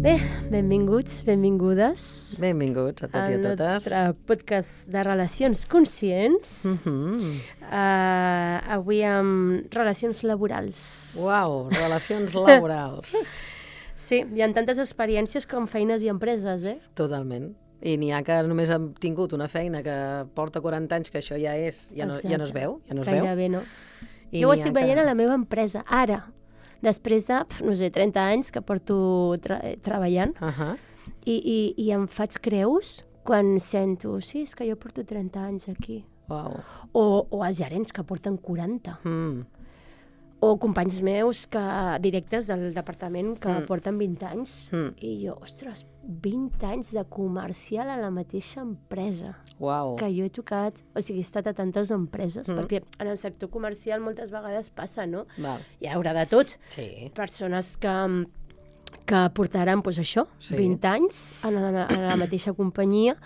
Bé, benvinguts, benvingudes Benvinguts a tots i a al totes. nostre podcast de relacions conscients. Avui amb relacions laborals. Uau, relacions laborals. Sí, hi ha tantes experiències com feines i empreses, Totalment. I n'hi ha que només han tingut una feina que porta 40 anys, que això ja és, ja no es veu, ja no es veu. Gairebé no. I Jo ho n'hi ha estic veient a la meva empresa, ara, després de, no sé, 30 anys que porto treballant, i em faig creus quan sento, sí, és que jo porto 30 anys aquí. Uau. O els gerents que porten 40. O companys meus directes del departament que porten 20 anys. I jo, ostres, 20 anys de comercial a la mateixa empresa. Uau. Que jo he tocat, o sigui, he estat a tantes empreses, perquè en el sector comercial moltes vegades passa, no? Val. Hi haurà de tot. Sí. Persones que portaran, doncs això, Sí. 20 anys a la mateixa companyia,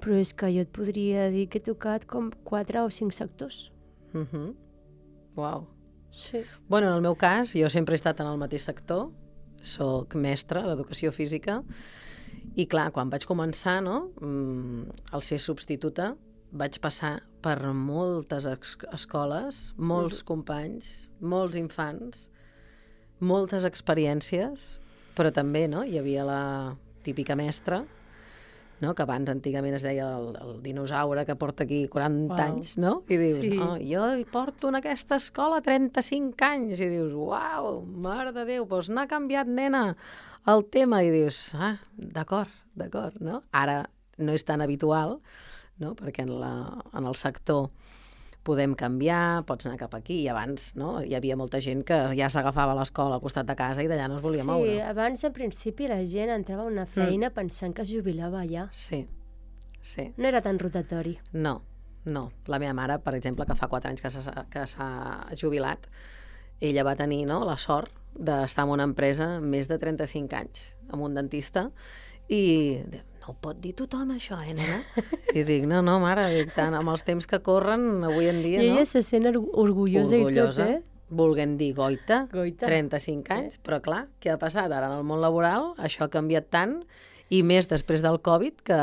però és que jo et podria dir que he tocat com 4 o 5 sectors. Uau. Sí. Bueno, en el meu cas, jo sempre he estat en el mateix sector, soc mestra d'educació física, i clar, quan vaig començar, no, al ser substituta, vaig passar per moltes escoles, molts companys, molts infants, moltes experiències, però també, no, hi havia la típica mestra, no, que abans antigament es deia el dinosaure que porta aquí 40 anys, no? I dius, Sí. Jo hi porto en aquesta escola 35 anys, i dius, uau, mare de Déu, doncs n'ha canviat, nena, el tema, i dius, d'acord, no? Ara no és tan habitual, no? Perquè en el sector podem canviar, pots anar cap aquí, i abans, no? Hi havia molta gent que ja s'agafava a l'escola al costat de casa i d'allà no es volia moure. Sí, abans, en principi, la gent entrava a una feina pensant que es jubilava allà. Sí. No era tan rotatori. No. La meva mare, per exemple, que fa 4 anys que s'ha jubilat, ella va tenir, no, la sort d'estar en una empresa més de 35 anys, amb un dentista, i no ho pot dir tothom, això, nena? I dic, no, mare, dic, tant amb els temps que corren avui en dia, I no? ella se sent orgullosa i tot, Volguem dir goita, Goita. 35 anys, però clar, què ha passat ara en el món laboral? Això ha canviat tant, i més després del Covid, que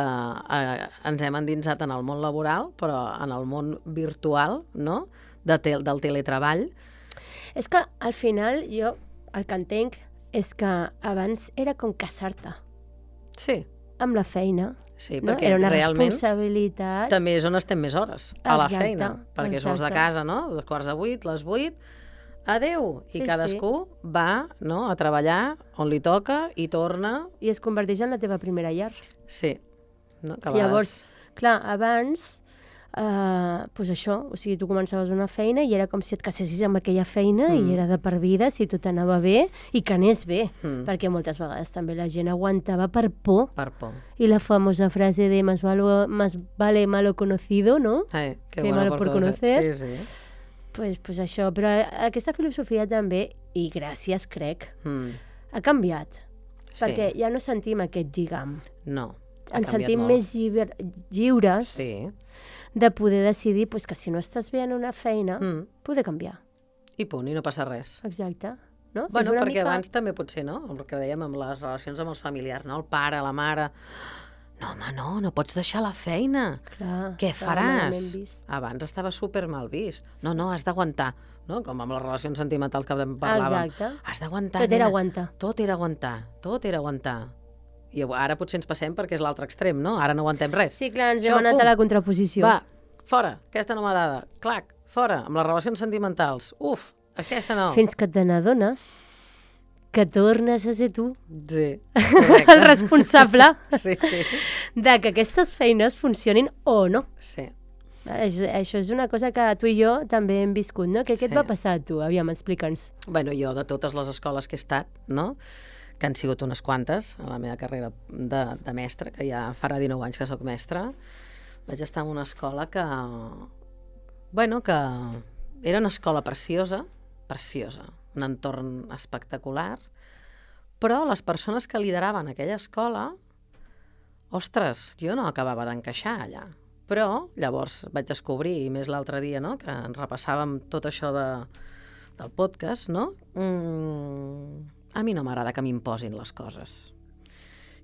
ens hem endinsat en el món laboral, però en el món virtual, no?, del teletreball. És que, al final, jo el que entenc és que abans era com casar-te Sí, amb la feina. sí, No? perquè Era una realment responsabilitat. també és on estem més hores, a la Exacte, feina, perquè surts de exacte. casa, no?, 7:45, les 8, adeu, Sí, i cadascú va, no?, a treballar on li toca i torna. I es converteix en la teva primera llar. Sí, no? Que a vegades... Llavors, clar, abans, doncs això, o sigui, tu començaves una feina i era com si et casessis amb aquella feina i era de per vida, si tot anava bé i que anés bé, perquè moltes vegades també la gent aguantava per por. Per por. I la famosa frase de más vale malo conocido, ¿no? Que bueno malo por conocer. Sí. Pues això, però aquesta filosofia també, i gràcies, crec, ha canviat, Sí. perquè ja no sentim aquest lligam. No. ha Ens canviat sentim molt. més lliures Sí. de poder decidir pues, que si no estàs bé en una feina, poder canviar. I punt, i no passa res. Exacte. No? Bueno, És una perquè mica... abans també potser, no?, el que dèiem amb les relacions amb els familiars, no?, el pare, la mare... No, home, no pots deixar la feina. Clar, Què estava faràs? malament vist. Abans estava super mal vist. No, has d'aguantar. No? Com amb les relacions sentimentals que parlàvem. Exacte. Has d'aguantar, Tot era nena. aguantar. Tot era aguantar. I ara potser ens passem perquè és l'altre extrem, no? Ara no aguantem res. Sí, clar, ens Això, hem anat pum. a la contraposició. Va, fora, aquesta no m'agrada. Clac, fora, amb les relacions sentimentals. Uf, aquesta no. Fins que te n'adones que tornes a ser tu Sí, el correcte. responsable Sí. de que aquestes feines funcionin o no. Sí. Això és una cosa que tu i jo també hem viscut, no? Què et Sí. va passar a tu? Aviam, explica'ns. Bueno, jo de totes les escoles que he estat, no?, que han sigut unes quantes a la meva carrera de mestra, que ja farà 19 anys que sóc mestra, vaig estar en una escola que era una escola preciosa, un entorn espectacular, però les persones que lideraven aquella escola, ostres, jo no acabava d'encaixar allà. Però llavors vaig descobrir, i més l'altre dia, no?, que ens repassàvem tot això del podcast, no? A mi no m'agrada que m'imposin les coses.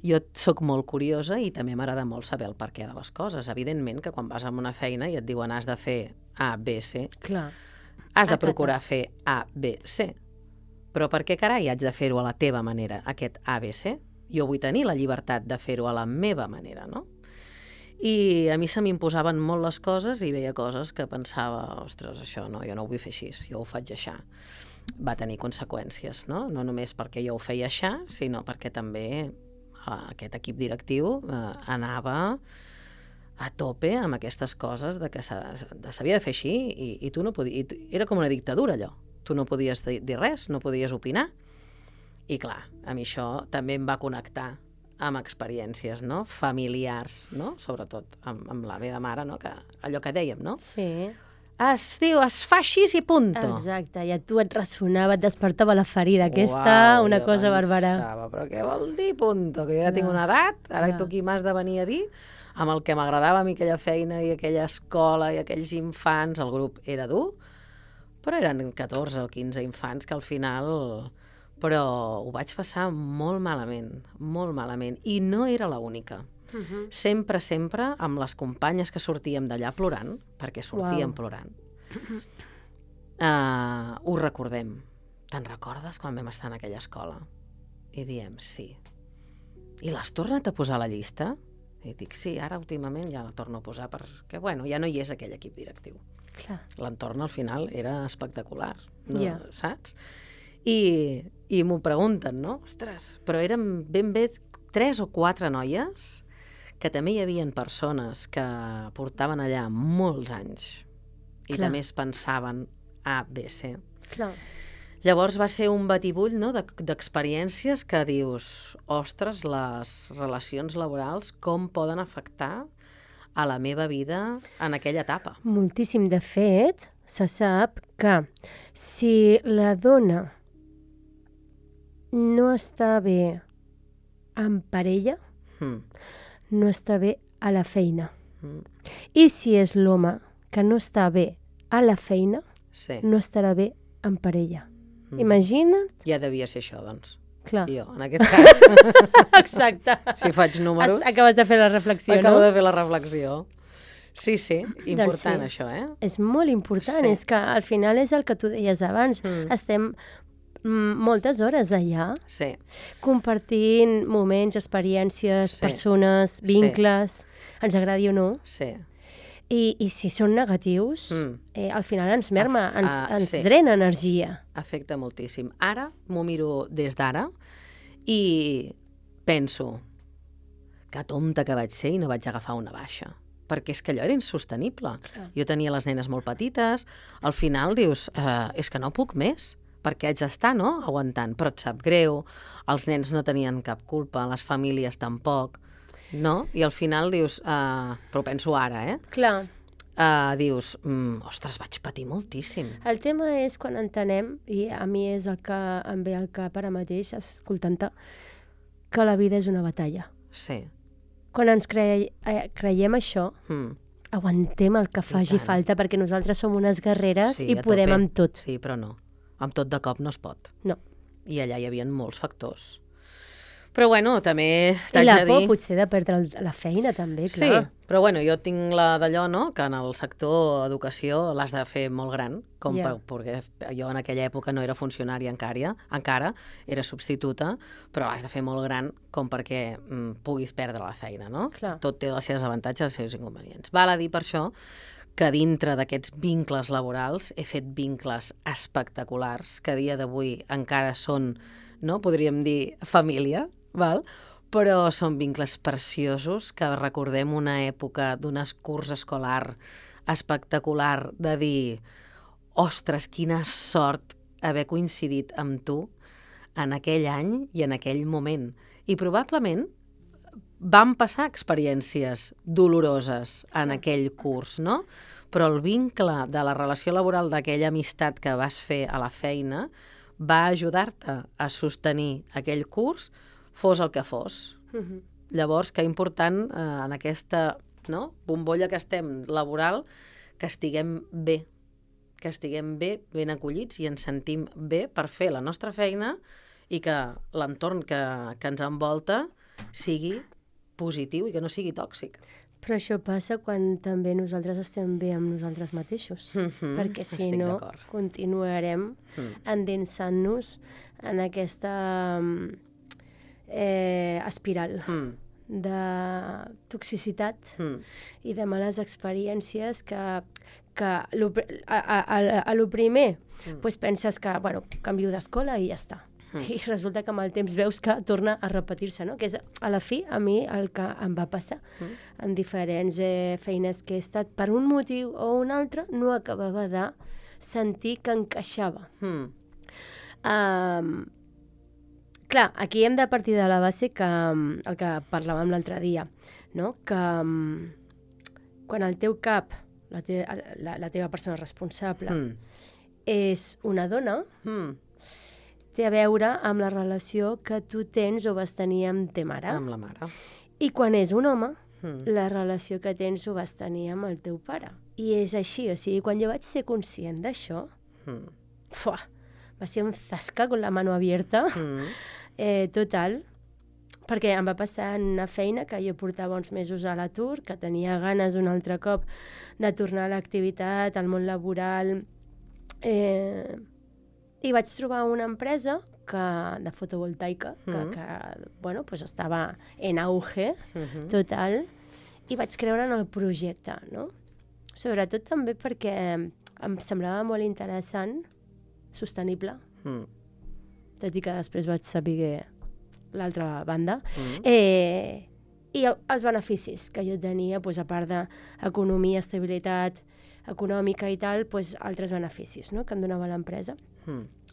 Jo sóc molt curiosa i també m'agrada molt saber el perquè de les coses. Evidentment que quan vas a una feina i et diuen has de fer A, B, C, Clar. has de procurar fer A, B, C. Però per què carai haig de fer-ho a la teva manera, aquest A, B, C? Jo vull tenir la llibertat de fer-ho a la meva manera, no? I a mi se m'imposaven molt les coses i veia coses que pensava, ostres, això no, jo no ho vull fer així, jo ho faig així. Va tenir conseqüències, no? No només perquè jo ho feia així, sinó perquè també aquest equip directiu anava a tope amb aquestes coses de que s'havia de fer així i tu no podies... Era com una dictadura, allò. Tu no podies dir res, no podies opinar. I clar, a mi això també em va connectar amb experiències, no? Familiars, no? Sobretot amb la meva mare, no? Que allò que dèiem, no? Sí. Es diu, es fa així i punto. Exacte, i a tu et ressonava, et despertava la ferida aquesta, una cosa bàrbara. Però què vol dir punto? Que jo ja tinc una edat, ara tu qui m'has de venir a dir amb el que m'agradava a mi aquella feina i aquella escola i aquells infants, el grup era dur, però eren 14 o 15 infants que al final... Però ho vaig passar molt malament, i no era l'única. Sempre, amb les companyes que sortíem d'allà plorant, perquè sortíem plorant, ho recordem. Te'n recordes quan vam estar en aquella escola? I diem, sí. I l'has tornat a posar a la llista? I dic, sí, ara últimament ja la torno a posar perquè, bueno, ja no hi és aquell equip directiu. L'entorn al final era espectacular, no? Saps? I m'ho pregunten, no? Ostres, però eren ben bé 3 o 4 noies que també hi havia persones que portaven allà molts anys i també es pensaven A, B, C. Llavors va ser un batibull, no?, d'experiències que dius, ostres, les relacions laborals com poden afectar a la meva vida en aquella etapa. Moltíssim. De fet, se sap que si la dona no està bé en parella, no està bé a la feina. I si és l'home que no està bé a la feina, no estarà bé en parella. Imagina't. Ja devia ser això, doncs. Clar. Jo, en aquest cas. Exacte. Si faig números... Acabes de fer la reflexió, no? Acabo de fer la reflexió. Sí, important això, eh? És molt important, és que al final és el que tu deies abans. Estem moltes hores allà, compartint moments, experiències, persones, vincles, ens agradi o no. I si són negatius, al final ens merma, ens drena energia. Afecta moltíssim. Ara m'ho miro des d'ara i penso que tonta que vaig ser i no vaig agafar una baixa. Perquè és que allò era insostenible. Jo tenia les nenes molt petites, al final dius, és que no puc més, perquè haig d'estar, no?, aguantant, però et sap greu, els nens no tenien cap culpa, les famílies tampoc, no? I al final dius, però penso ara, Clar. Dius, ostres, vaig patir moltíssim. El tema és quan entenem, i a mi és el que em ve al cap ara mateix, escoltant-te, que la vida és una batalla. Sí. Quan ens creiem això, aguantem el que faci falta, perquè nosaltres som unes guerreres i podem amb tot. Sí, però no. Amb tot de cop no es pot. No. I allà hi havia molts factors. Però bueno, també t'haig de dir... I la por potser de perdre la feina també, clar. Sí, però bueno, jo tinc la d'allò, no?, que en el sector educació l'has de fer molt gran, perquè jo en aquella època no era funcionària encara, era substituta, però l'has de fer molt gran com perquè puguis perdre la feina, no? Clar. Tot té els seus avantatges i els seus inconvenients. Val a dir per això que dintre d'aquests vincles laborals he fet vincles espectaculars que a dia d'avui encara són, no, podríem dir, família, val? Però són vincles preciosos que recordem una època d'un curs escolar espectacular de dir, ostres, quina sort haver coincidit amb tu en aquell any i en aquell moment. I probablement van passar experiències doloroses en aquell curs, no? Però el vincle de la relació laboral d'aquella amistat que vas fer a la feina va ajudar-te a sostenir aquell curs, fos el que fos. Llavors, que important en aquesta bombolla que estem laboral, que estiguem bé, ben acollits i ens sentim bé per fer la nostra feina i que l'entorn que ens envolta sigui positiu i que no sigui tòxic. Però això passa quan també nosaltres estem bé amb nosaltres mateixos, perquè si no continuarem endinsant-nos en aquesta espiral de toxicitat i de males experiències que a lo primer penses que canvio d'escola i ja està. I resulta que amb el temps veus que torna a repetir-se, no? Que és, a la fi, a mi el que em va passar en diferents feines que he estat, per un motiu o un altre, no acabava de sentir que encaixava. Clar, aquí hem de partir de la base que el que parlàvem l'altre dia, no? Que quan el teu cap, la teva persona responsable, és una dona, té a veure amb la relació que tu tens o vas tenir amb ta mare. Amb la mare. I quan és un home, la relació que tens ho vas tenir amb el teu pare. I és així, o sigui, quan jo vaig ser conscient d'això, va ser un zasca con la mano abierta, total, perquè em va passar en una feina que jo portava uns mesos a l'atur, que tenia ganes un altre cop de tornar a l'activitat, al món laboral, i vaig trobar una empresa de fotovoltaica que estava en auge total, i vaig creure en el projecte, no? Sobretot també perquè em semblava molt interessant, sostenible, tot i que després vaig saber l'altra banda, i els beneficis que jo tenia, a part d'economia, estabilitat econòmica i tal, altres beneficis que em donava l'empresa.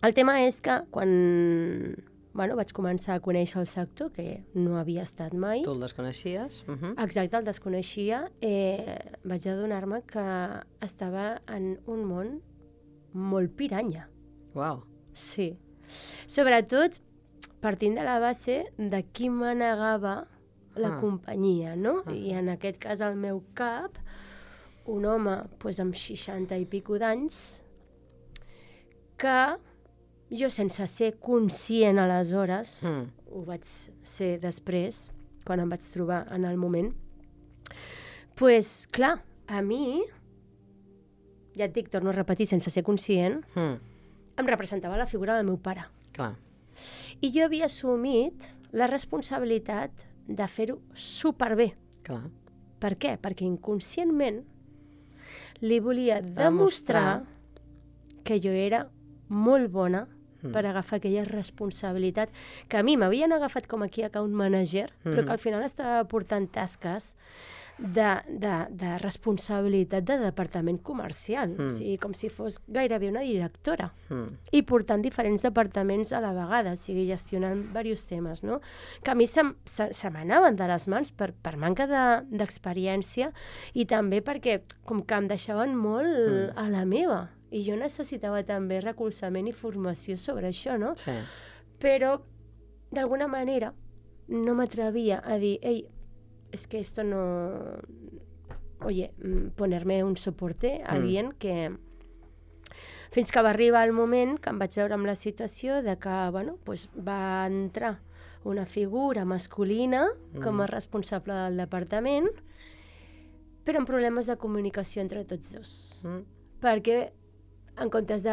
El tema és que quan vaig començar a conèixer el sector, que no havia estat mai... Tu el desconeixies? Exacte, el desconeixia. Vaig adonar-me que estava en un món molt piranya. Uau. Sí. Sobretot partint de la base de qui manegava la companyia, no? I en aquest cas, al meu cap, un home amb 60 i pico d'anys que jo, sense ser conscient aleshores, ho vaig ser després, quan em vaig trobar en el moment, clar, a mi, ja et dic, torno a repetir, sense ser conscient, em representava la figura del meu pare. Clar. I jo havia assumit la responsabilitat de fer-ho superbé. Clar. Per què? Perquè inconscientment li volia demostrar que jo era molt bona per agafar aquella responsabilitat que a mi m'havien agafat com aquí account manager, però que al final estava portant tasques de responsabilitat de departament comercial, o sigui, com si fos gairebé una directora, i portant diferents departaments a la vegada, o sigui, gestionant diversos temes, no? Que a mi se m'anaven de les mans per manca d'experiència i també perquè com que em deixaven molt a la meva, i jo necessitava també recolzament i formació sobre això, no? Sí. Però, d'alguna manera, no m'atrevia a dir, ei, es que esto no... Oye, ponerme un soporte a alguien que... Fins que va arribar el moment que em vaig veure amb la situació de que, va entrar una figura masculina com a responsable del departament, però amb problemes de comunicació entre tots dos. Perquè en comptes de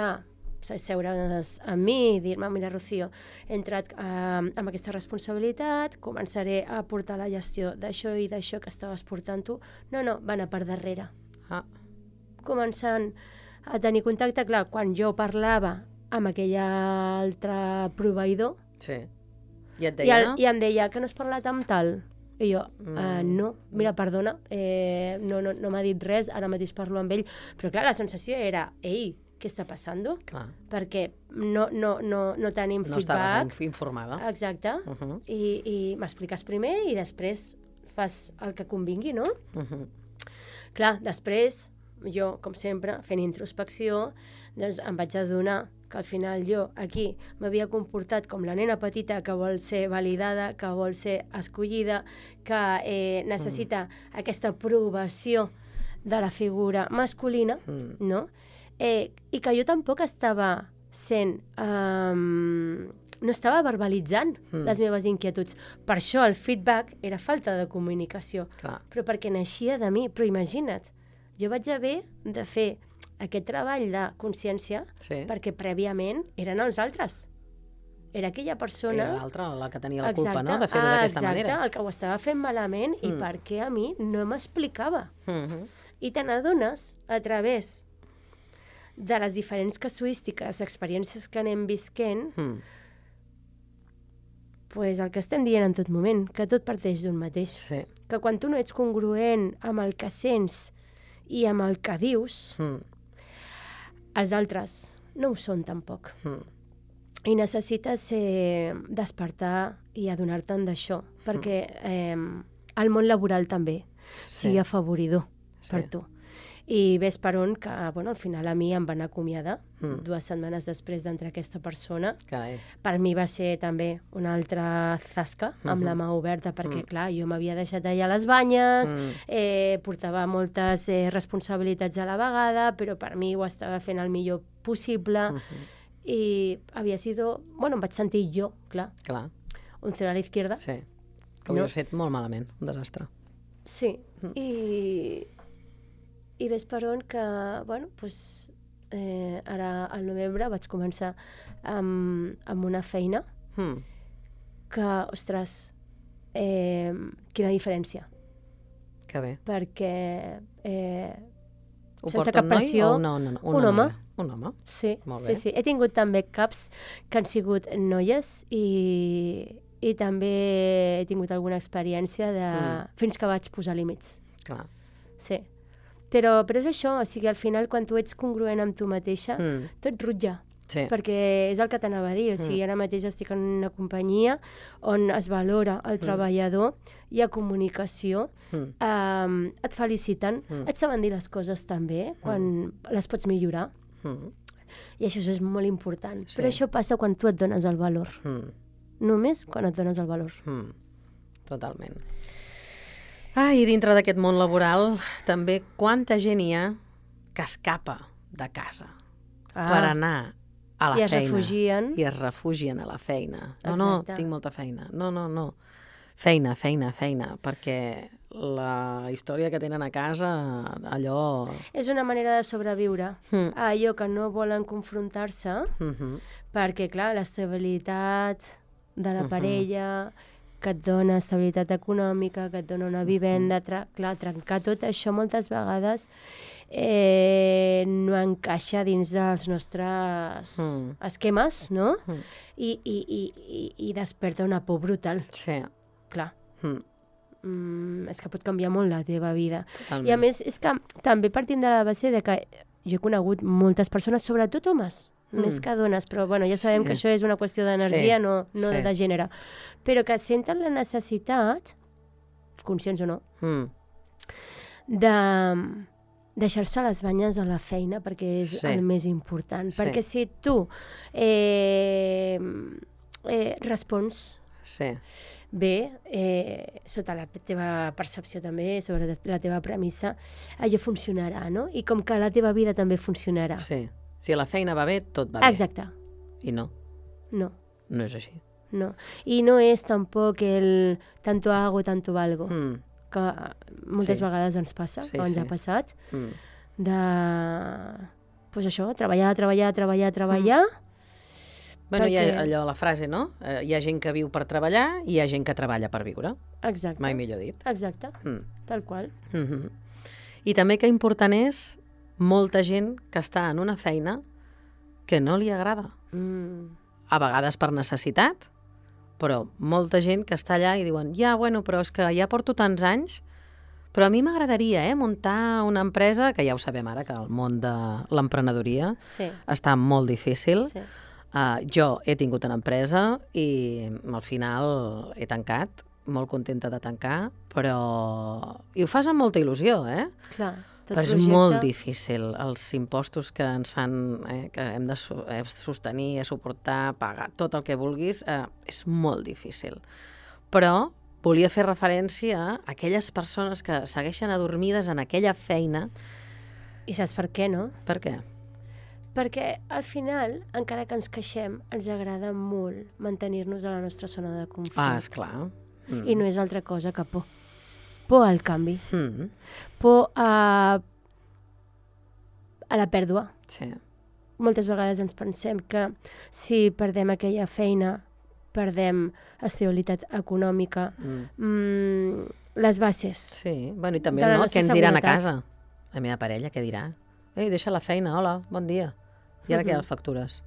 seure's amb mi i dir-me, mira, Rocío, he entrat amb aquesta responsabilitat, començaré a portar la gestió d'això i d'això que estaves portant tu. No, va anar per darrere. Començant a tenir contacte, clar, quan jo parlava amb aquell altre proveïdor, i et deia, i em deia que no has parlat amb tal. I jo, no, mira, perdona, no m'ha dit res, ara mateix parlo amb ell. Però clar, la sensació era, ei, què està passant? Clar. Perquè no tenim feedback. No estaves informada. Exacte. I m'expliques primer i després fas el que convingui, no? Clar, després, jo, com sempre, fent introspecció, doncs em vaig adonar que al final jo aquí m'havia comportat com la nena petita que vol ser validada, que vol ser escollida, que necessita aquesta aprovació de la figura masculina, no? I que jo tampoc estava sent no estava verbalitzant les meves inquietuds. Per això el feedback era falta de comunicació. Clar. Però perquè naixia de mi. Però imagina't, jo vaig haver de fer aquest treball de consciència perquè prèviament eren els altres. Era aquella persona... Era l'altra la que tenia la culpa, no?, de fer-ho d'aquesta manera. Exacte, el que ho estava fent malament i perquè a mi no m'explicava. I te n'adones a través de les diferents casuístiques, experiències que anem visquent, pues el que estem dient en tot moment, que tot parteix d'un mateix. Sí. Que quan tu no ets congruent amb el que sents i amb el que dius, els altres no ho són tampoc. I necessites despertar i adonar-te'n d'això, perquè el món laboral també sigui afavoridor per tu. I ves per on que, al final a mi em van acomiadar 2 setmanes després d'entrar aquesta persona. Carai. Per mi va ser també una altra zasca amb la mà oberta, perquè, clar, jo m'havia deixat allà les banyes, portava moltes responsabilitats a la vegada, però per mi ho estava fent el millor possible. I havia sido... em vaig sentir jo, clar. Un cero a la izquierda. Sí, que ho havies fet molt malament, un desastre. Sí, i ves per on que, ara al novembre vaig començar amb una feina que, ostres, quina diferència. Que bé. Perquè Ho sense porta cap un noi pressió, o un home. Un home? Sí, Molt bé. sí. He tingut també caps que han sigut noies i també he tingut alguna experiència de... fins que vaig posar límits. Clar. Sí. Però és això, o sigui, al final, quan tu ets congruent amb tu mateixa, tot rutlla. Sí. Perquè és el que t'anava a dir, o sigui, ara mateix estic en una companyia on es valora el treballador, hi ha comunicació, et feliciten, et saben dir les coses també, quan les pots millorar, i això és molt important. Però això passa quan tu et dones el valor. Només quan et dones el valor. Totalment. I dintre d'aquest món laboral, també quanta gent hi ha que escapa de casa per anar a la feina. I es refugien a la feina. No, tinc molta feina. No. Feina, perquè la història que tenen a casa, allò... És una manera de sobreviure a allò que no volen confrontar-se, perquè, clar, l'estabilitat de la parella, que et dona estabilitat econòmica, que et dona una vivenda, clar, trencar tot això moltes vegades no encaixa dins dels nostres esquemes, no? I desperta una por brutal. Sí. Clar. És que pot canviar molt la teva vida. Totalment. I a més, és que també partim de la base de que jo he conegut moltes persones, sobretot homes, més que dones, però ja sabem que això és una qüestió d'energia, no de gènere, però que senten la necessitat, conscients o no, de deixar-se les banyes a la feina, perquè és el més important. Perquè si tu respons bé, sota la teva percepció també, sobre la teva premissa, allò funcionarà, no? I com que la teva vida també funcionarà. Sí. Si la feina va bé, tot va bé. Exacte. I no. No. No és així. No. I no és tampoc el tanto hago, tanto valgo, que moltes vegades ens passa, o ens ha passat, de, això, treballar. Bueno, hi ha allò, la frase, no? Hi ha gent que viu per treballar i hi ha gent que treballa per viure. Exacte. Mai millor dit. Exacte, tal qual. I també que important és molta gent que està en una feina que no li agrada. A vegades per necessitat, però molta gent que està allà i diuen però és que ja porto tants anys, però a mi m'agradaria muntar una empresa, que ja ho sabem ara, que el món de l'emprenedoria està molt difícil. Jo he tingut una empresa i al final he tancat, molt contenta de tancar, però... I ho fas amb molta il·lusió, Clar. Però és molt difícil, els impostos que ens fan, que hem de sostenir, suportar, pagar, tot el que vulguis, és molt difícil. Però volia fer referència a aquelles persones que segueixen adormides en aquella feina. I saps per què, no? Per què? Perquè al final, encara que ens queixem, ens agrada molt mantenir-nos a la nostra zona de confort. Esclar. I no és altra cosa que por. Por al canvi. Por a la pèrdua. Sí. Moltes vegades ens pensem que si perdem aquella feina, perdem estabilitat econòmica, les bases. Sí, bueno, i també què ens diran a casa? La meva parella, què dirà? Ei, deixa la feina, hola, bon dia. I ara què, les factures?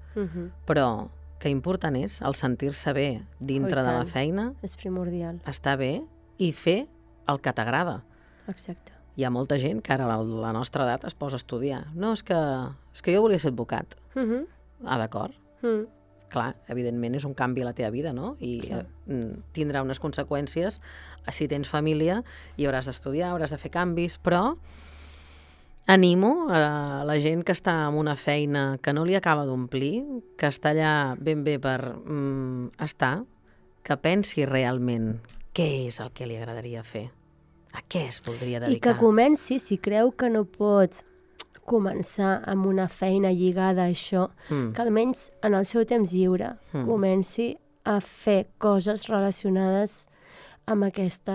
Però que important és el sentir-se bé dintre de la feina. És primordial. Estar bé i fer el que t'agrada. Exacte. Hi ha molta gent que ara a la nostra edat es posa a estudiar. No, és que jo volia ser advocat. D'acord. Clar, evidentment és un canvi a la teva vida, no? I tindrà unes conseqüències. Si tens família i hauràs d'estudiar, hauràs de fer canvis, però animo a la gent que està en una feina que no li acaba d'omplir, que està allà ben bé per estar, que pensi realment què és el que li agradaria fer. A què es voldria dedicar? I que comenci, si creu que no pot començar amb una feina lligada a això, que almenys en el seu temps lliure comenci a fer coses relacionades amb aquesta...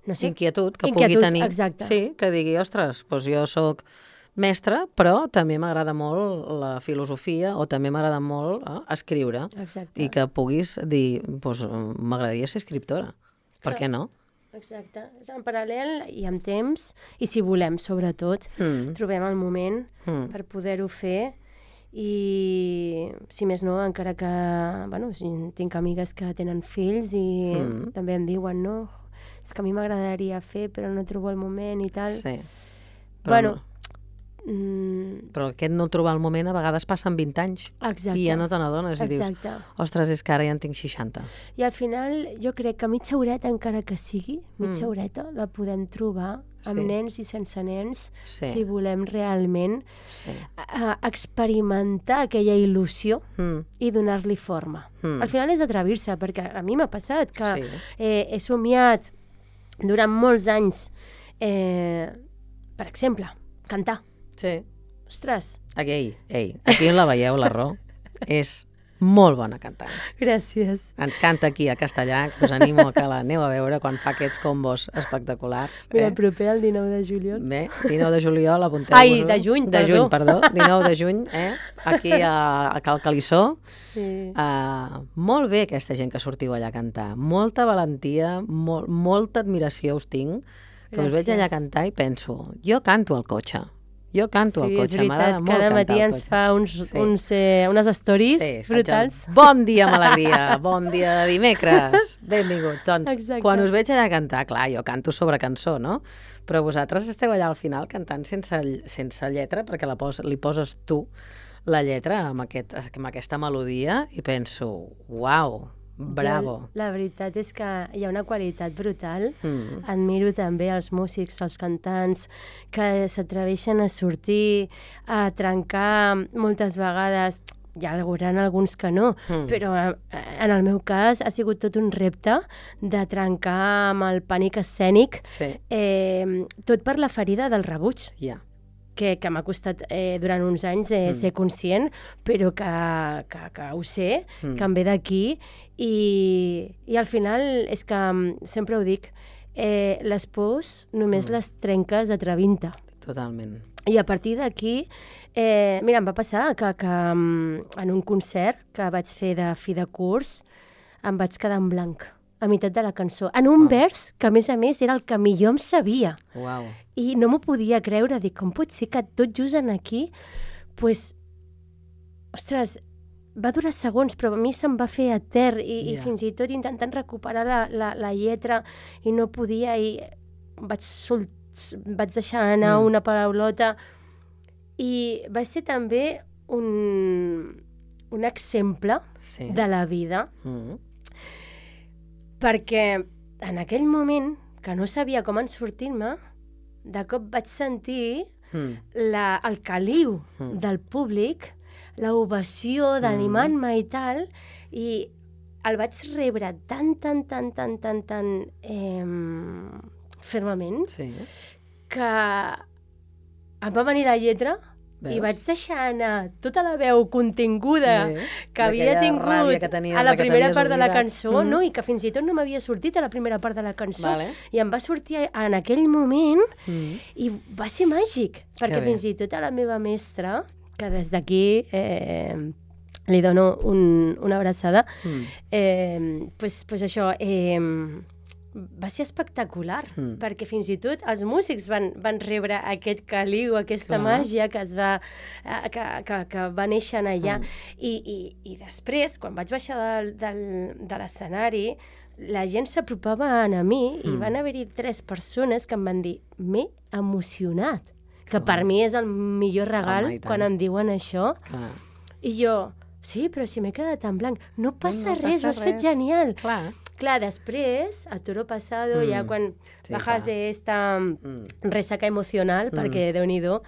no sé, inquietud que pugui tenir. Exacte. Sí, que digui, ostres, doncs jo sóc mestre, però també m'agrada molt la filosofia o també m'agrada molt escriure. Exacte. I que puguis dir, doncs m'agradaria ser escriptora. Per què no? Exacte. En paral·lel i amb temps, i si volem, sobretot, trobem el moment per poder-ho fer. I, si més no, encara que, bueno, tinc amigues que tenen fills i també em diuen, no, és que a mi m'agradaria fer, però no trobo el moment i tal. Sí. Però, però aquest no trobar el moment a vegades passen 20 anys. Exacte. I ja no te n'adones i dius, ostres, és que ara ja en tinc 60. I al final jo crec que mitja horeta, encara que sigui, mitja horeta, la podem trobar amb nens i sense nens, si volem realment experimentar aquella il·lusió i donar-li forma. Al final és atrevir-se, perquè a mi m'ha passat que he somiat durant molts anys, per exemple, cantar. Sí. Ostres. Aquí on la veieu, la Ro, és molt bona cantant. Gràcies. Ens canta aquí a castellà, que us animo a que l'aneu a veure quan fa aquests combos espectaculars. Mira, proper el 19 de juliol. Bé, 19 de juliol, apunteu-vos. Ai, de juny, perdó. De juny, perdó. 19 de juny, aquí a Cal Calissó. Sí. Molt bé aquesta gent que sortiu allà a cantar. Molta valentia, molta admiració us tinc, que us veig allà a cantar i penso, jo canto al cotxe. Jo canto al cotxe, m'agrada molt cantar al cotxe. Cada matí ens fa unes stories brutals. Bon dia amb alegria, bon dia de dimecres, benvingut. Doncs, quan us veig allà a cantar, clar, jo canto sobre cançó, no? Però vosaltres esteu allà al final cantant sense lletra, perquè li poses tu la lletra amb aquesta melodia i penso, uau, bravo. La veritat és que hi ha una qualitat brutal. Admiro també els músics, els cantants, que s'atreveixen a sortir, a trencar moltes vegades. Hi ha alguns que no, però en el meu cas ha sigut tot un repte de trencar amb el pànic escènic, tot per la ferida del rebuig. Que m'ha costat durant uns anys ser conscient, però que ho sé, que em ve d'aquí, i al final és que sempre ho dic, les pors només les trenques atrevint-te. Totalment. I a partir d'aquí, mira, em va passar que en un concert que vaig fer de fi de curs em vaig quedar en blanc a meitat de la cançó, en un vers que a més era el que millor em sabia. I no m'ho podia creure, dic, com pot ser que tot just en aquí, doncs, ostres, va durar segons, però a mi se'm va fer etern i fins i tot intentant recuperar la lletra i no podia, i vaig deixar anar una paraulota, i va ser també un exemple de la vida, perquè en aquell moment, que no sabia com en sortir-me, de cop vaig sentir el caliu del públic, l'ovació d'animant-me i tal, i el vaig rebre tan fermament que em va venir la lletra Veus? i vaig deixar anar tota la veu continguda que havia tingut que tenies, a la primera que part de la oblidat. cançó, no? I que fins i tot no m'havia sortit a la primera part de la cançó. Vale. I em va sortir en aquell moment i va ser màgic, perquè fins i tot a la meva mestra, que des d'aquí li dono una abraçada, pues això, va ser espectacular, perquè fins i tot els músics van rebre aquest caliu, aquesta màgia que va néixer allà. I després, quan vaig baixar de l'escenari, la gent s'apropava a mi i van haver-hi 3 persones que em van dir m'he emocionat, que per mi és el millor regal quan em diuen això. I jo, sí, però si m'he quedat en blanc. No passa res, ho has fet genial. Clar, després, a toro pasado, ja quan bajas de esta resaca emocional, perquè Déu-n'hi-do,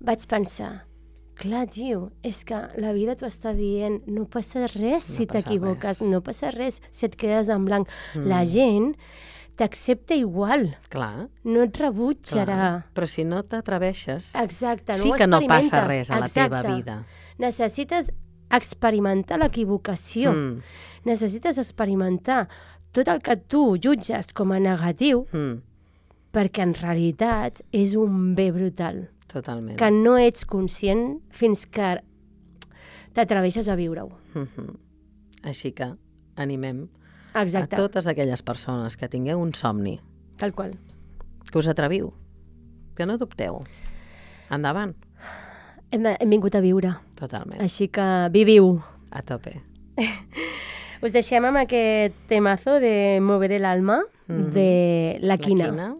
vaig pensar, clar, tio, és que la vida t'ho està dient, no passa res si t'equivoques, no passa res si et quedes en blanc. La gent t'accepta igual. Clar. No et rebutjarà. Però si no t'atreveixes, exacte, sí que no passa res a la teva vida. Necessites experimentar l'equivocació. Necessites experimentar tot el que tu jutges com a negatiu, perquè en realitat és un bé brutal. Totalment. Que no ets conscient fins que t'atreveixes a viure-ho. Així que animem a totes aquelles persones que tingueu un somni. Tal qual. Que us atreviu. Que no dubteu. Endavant. Hem vingut a viure. Totalment. Així que viviu. A tope. Us deixem amb aquest temazo de Moveré l'alma de La Quina.